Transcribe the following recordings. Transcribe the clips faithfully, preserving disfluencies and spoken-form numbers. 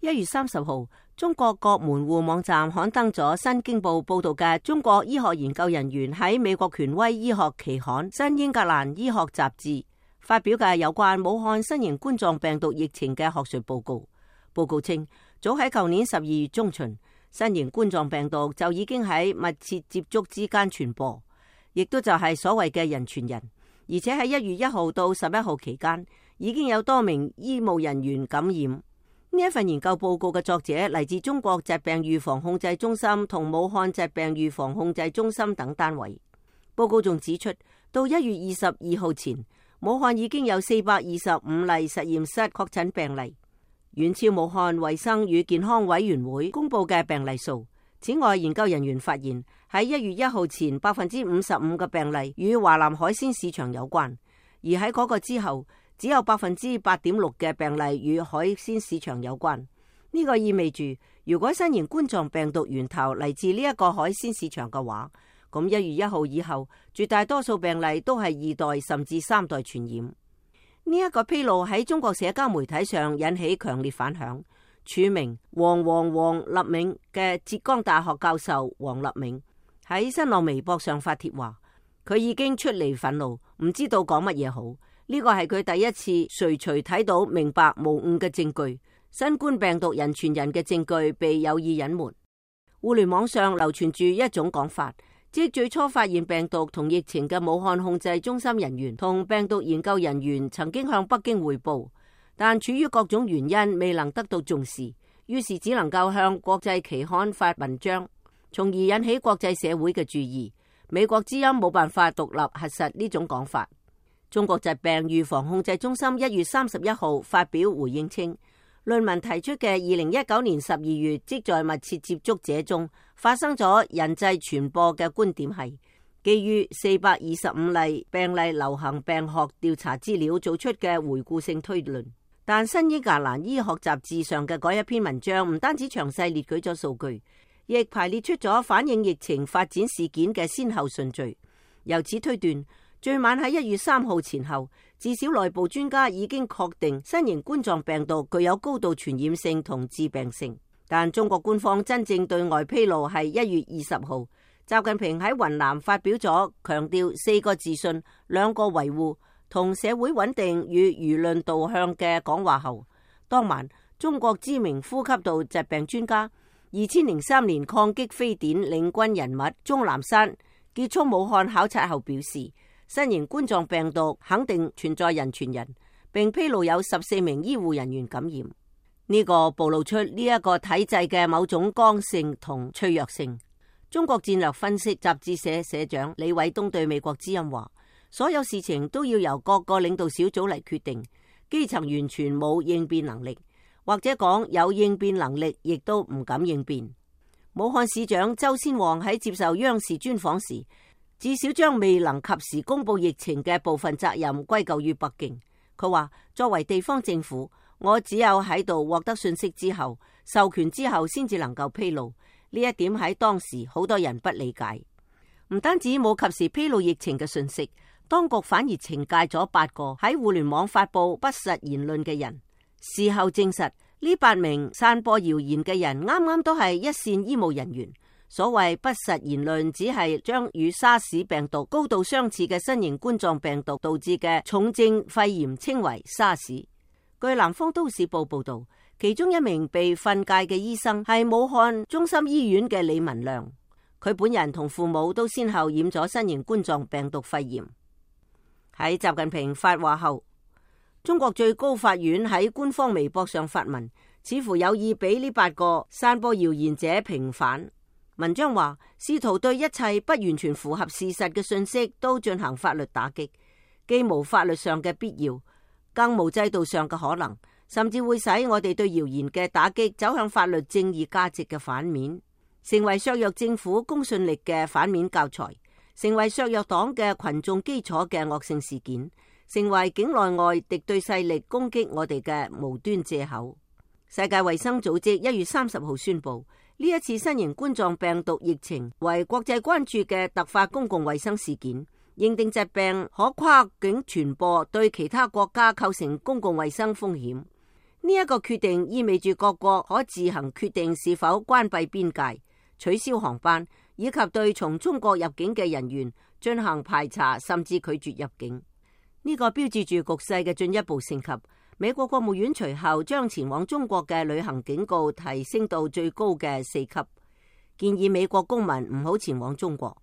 一月三十號，中國各門戶網站刊登咗《新京報》報道嘅中國醫學研究人員喺美國權威醫學期刊《新英格蘭醫學雜誌》發表嘅有關武漢新型冠狀病毒疫情嘅學術報告。報告稱，早喺舊年十二月中旬，新型冠狀病毒就已經喺密切接觸之間傳播，亦都就係所謂嘅人傳人。而且喺一月一號到十一號期間，已經有多名醫務人員感染。呢一份研究報告嘅作者嚟自中國疾病預防控制中心同武漢疾病預防控制中心等單位。報告仲指出，到一月二十二號前，武漢已經有四百二十五例實驗室確診病例，遠超武漢衛生與健康委員會公布嘅病例數。此外，研究人員發現喺一月一號前，百分之五十五嘅病例與華南海鮮市場有關，而喺嗰個之後，只有百分之八點六嘅病例與海鮮市場有關。呢個意味住，如果新型冠狀病毒源頭嚟自呢一個海鮮市場嘅話，咁一月一號以後，絕大多數病例都係二代甚至三代傳染。呢一個披露喺中國社交媒體上引起強烈反響。署名黃黃黃立銘嘅浙江大學教授黃立銘喺新浪微博上發帖話，佢已經出嚟憤怒，唔知道講乜嘢好。呢個係佢第一次隨隨睇到明白無誤嘅證據，新冠病毒人傳人嘅證據被有意隱瞞。互聯網上流傳住一種講法，即最初發現病毒同疫情嘅武漢控制中心人員同病毒研究人員曾經向北京匯報，但處於各種原因未能得到重視，於是只能夠向國際期刊發文章，從而引起國際社會嘅注意。美國之音冇辦法獨立核實呢種講法。中國疾病預防控制中心一月三十一號發表回應稱，論文提出嘅二零一九年十二月即在密切接觸者中發生咗人際傳播嘅觀點係基於四百二十五例病例流行病學調查資料做出嘅回顧性推論。但新英格蘭醫學雜誌上嘅嗰一篇文章唔單止詳細列舉咗數據，亦排列出咗反映疫情發展事件嘅先後順序。由此推斷，最晚喺一月三號前後，至少內部專家已經確定新型冠狀病毒具有高度傳染性同致病性。但中國官方真正對外披露係一月二十號，習近平喺雲南發表咗強調四個自信、兩個維護同社會穩定與輿論導向嘅講話後，當晚中國知名呼吸道疾病專家、二千零三年抗擊非典領軍人物鍾南山結束武漢考察後表示，新型冠狀病毒肯定存在人傳人，並披露有十四名醫護人員感染。呢、這個暴露出呢一個體制嘅某種剛性同脆弱性。中國戰略分析雜誌社社長李偉東對美國之音話，所有事情都要由各個領導小組嚟決定，基層完全冇應變能力，或者講有應變能力，亦都唔敢應變。武漢市長周先旺喺接受央視專訪時，至少將未能及時公布疫情嘅部分責任歸咎於北京。佢話，作為地方政府，我只有喺度獲得信息之後，授權之後先至能夠披露。呢一點喺當時好多人不理解。唔單止冇及時披露疫情嘅信息，當局反而懲戒咗八個喺互聯網發布不實言論嘅人。事後證實，呢八名散播謠言嘅人啱啱都係一線醫務人員。所謂不實言論，只係將與沙士病毒高度相似嘅新型冠狀病毒導致嘅重症肺炎稱為沙士。據南方都市報報道，其中一名被訓誡嘅醫生係武漢中心醫院嘅李文亮，佢本人同父母都先後染咗新型冠狀病毒肺炎。喺習近平發話後，中國最高法院喺官方微博上發文，似乎有意俾呢八個散播謠言者平反。文章話，試圖對一切不完全符合事實嘅信息都進行法律打擊，既無法律上嘅必要，更無制度上嘅可能，甚至會使我哋對謠言嘅打擊走向法律正義價值嘅反面，成為削弱政府公信力嘅反面教材，成為削弱黨嘅群眾基礎嘅惡性事件，成為境內外敵對勢力攻擊我哋嘅無端借口。世界衛生組織一月三十號宣布，呢一次新型冠狀病毒疫情為國際關注嘅突發公共衛生事件，認定疾病可跨境傳播，對其他國家構成公共衛生風險。呢呢一個決定意味住各國可自行決定是否關閉邊界、取消航班，以及對從中國入境嘅人員進行排查，甚至拒絕入境。呢個標誌住局勢嘅進一步升級。美國國務院隨後將前往中國嘅旅行警告提升到最高嘅四級，建議美國公民唔好前往中國。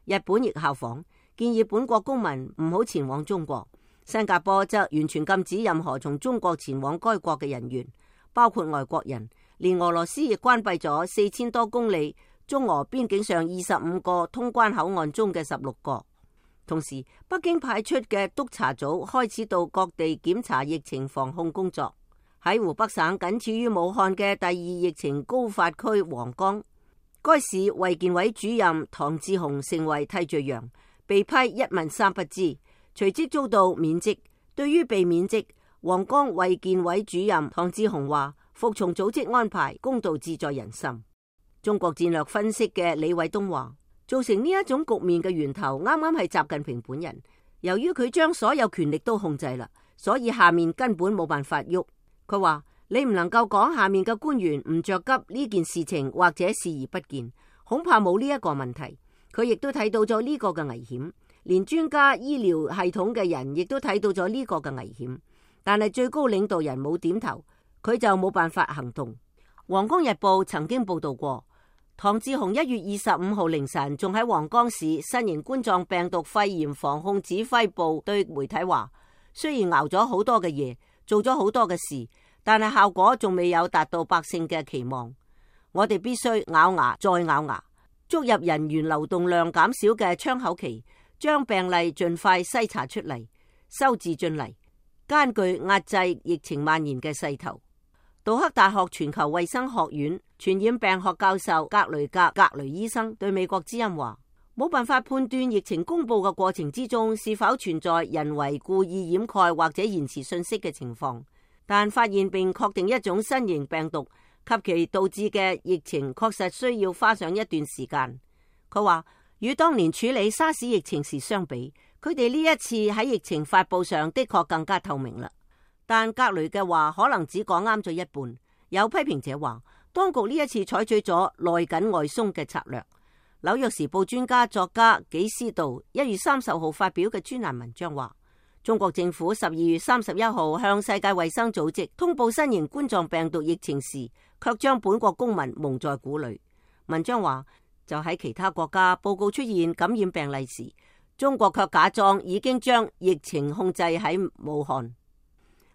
日本亦效仿，建議本國公民唔好前往中國。新加坡則完全禁止任何從中國前往該國嘅人員，包括外國人。連俄羅斯亦關閉咗四千多公里中俄邊境上二十五個通關口岸中嘅十六個。同時，北京派出嘅督察組開始到各地檢查疫情防控工作。喺湖北省僅次於武漢嘅第二疫情高發區黃岡，該市衛健委主任唐志雄成為替罪羊，被批一問三不知，隨即遭到免職。對於被免職，黃岡衛健委主任唐志雄話：服從組織安排，公道自在人心。中國戰略分析嘅李偉東話：造成呢一種局面嘅源頭，啱啱係習近平本人。由於佢將所有權力都控制啦，所以下面根本冇辦法喐。佢話：你唔能夠講下面嘅官員唔着急呢件事情，或者視而不見，恐怕冇呢一個問題。佢亦都睇到咗呢個嘅危險，連專家醫療系統嘅人亦都睇到咗呢個嘅危險。但係最高領導人冇點頭，佢就冇辦法行動。黃岡日報曾經報道過，唐志雄一月二十五號凌晨仲喺黃岡市新型冠狀病毒肺炎防控指揮部對媒體話：雖然熬咗好多嘅夜，做咗好多嘅事，但係效果仲未有達到百姓嘅期望。我哋必須咬牙再咬牙，捉入人員流動量減少嘅窗口期，將病例盡快篩查出嚟，收治進嚟，艱巨壓制疫情蔓延嘅勢頭。杜克大學全球衛生學院傳染病學教授格雷格格雷醫生對美國之音話：冇辦法判斷疫情公布嘅過程之中是否存在人為故意掩蓋或者延遲信息嘅情況，但發現並確定一種新型病毒及其導致嘅疫情確實需要花上一段時間。佢話：與當年處理沙士疫情時相比，佢哋呢一次喺疫情發佈上的確更加透明啦。但格雷嘅話可能只講啱咗一半。有批評者話，當局呢一次採取咗內緊外鬆嘅策略。紐約時報專家作家紀斯道一月三十號發表嘅專欄文章話，中國政府十二月三十一號向世界衛生組織通報新型冠狀病毒疫情時，卻將本國公民蒙在鼓裏。文章話，就喺其他國家報告出現感染病例時，中國卻假裝已經將疫情控制喺武漢。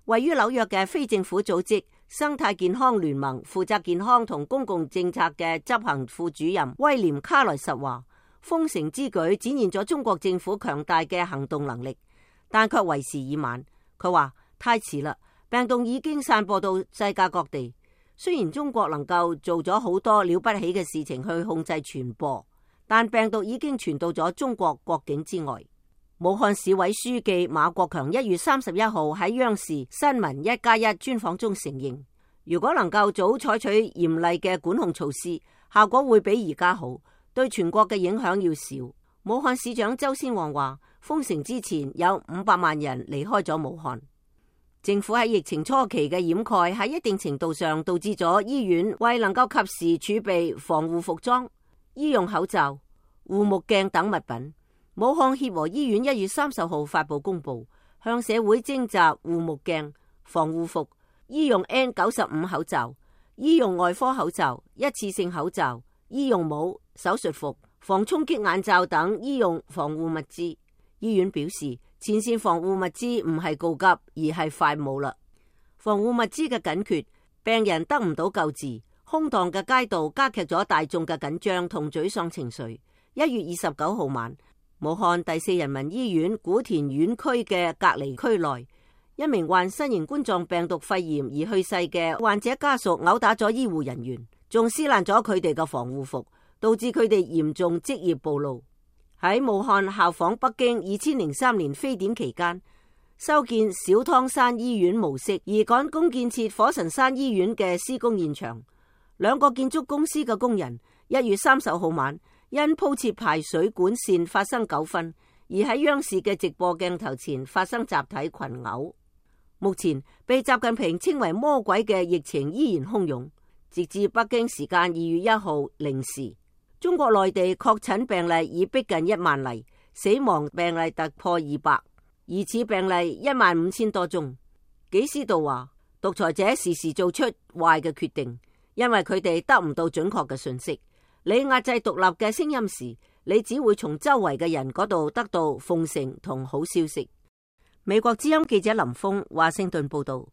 位於紐約嘅非政府組織生態健康聯盟負責健康同公共政策嘅執行副主任威廉卡萊什話：封城之舉展現咗中國政府強大嘅行動能力，但卻為時已晚。佢話太遲啦，病毒已經散播到世界各地。雖然中國能夠做咗好多了不起嘅事情去控制傳播，但病毒已經傳到咗中國國境之外。武漢市委書記馬國強一月三十一號喺央視新聞一加一專訪中承認，如果能夠早採取嚴厲嘅管控措施，效果會比而家好，對全國嘅影響要少。武漢市長周先旺話，封城之前有五百萬人離開咗武漢。政府喺疫情初期嘅掩蓋喺一定程度上導致咗醫院為能夠及時儲備防護服裝、醫用口罩、護目鏡等物品。武漢協和醫院一月三十號發佈公布，向社會徵集護目鏡、防護服、醫用 N 九十五口罩、醫用外科口罩、一次性口罩、醫用帽、手術服、防衝擊眼罩等醫用防護物資。醫院表示，前線防護物資唔係告急，而係快冇啦。防護物資嘅緊缺，病人得唔到救治，空蕩嘅街道加劇咗大眾嘅緊張同沮喪情緒。一月二十九號晚，武漢第四人民醫院古田院區嘅隔離區內，一名患新型冠狀病毒肺炎而去世嘅患者家屬毆打咗醫護人員，仲撕爛咗佢哋嘅防護服，導致佢哋嚴重職業暴露。喺武漢效仿北京二千零三年非典期間，修建小湯山醫院模式而趕工建設火神山醫院嘅施工現場，兩個建築公司嘅工人一月三十號晚因鋪設排水管線發生糾紛，而喺央視嘅直播鏡頭前發生集體群毆。武目前被習近平稱為魔鬼嘅疫情依然洶湧，直至北京時間二月一號零時，中國內地確診病例已逼近一萬例，死亡病例突破二百，疑似病例一萬五千多宗。紀思道話，獨裁者時時做出壞嘅決定，因為佢哋得唔到準確嘅信息。你壓制獨立嘅聲音時，你只會從周圍嘅人嗰度得到奉承同好消息。美國之音記者林峰華盛頓報道。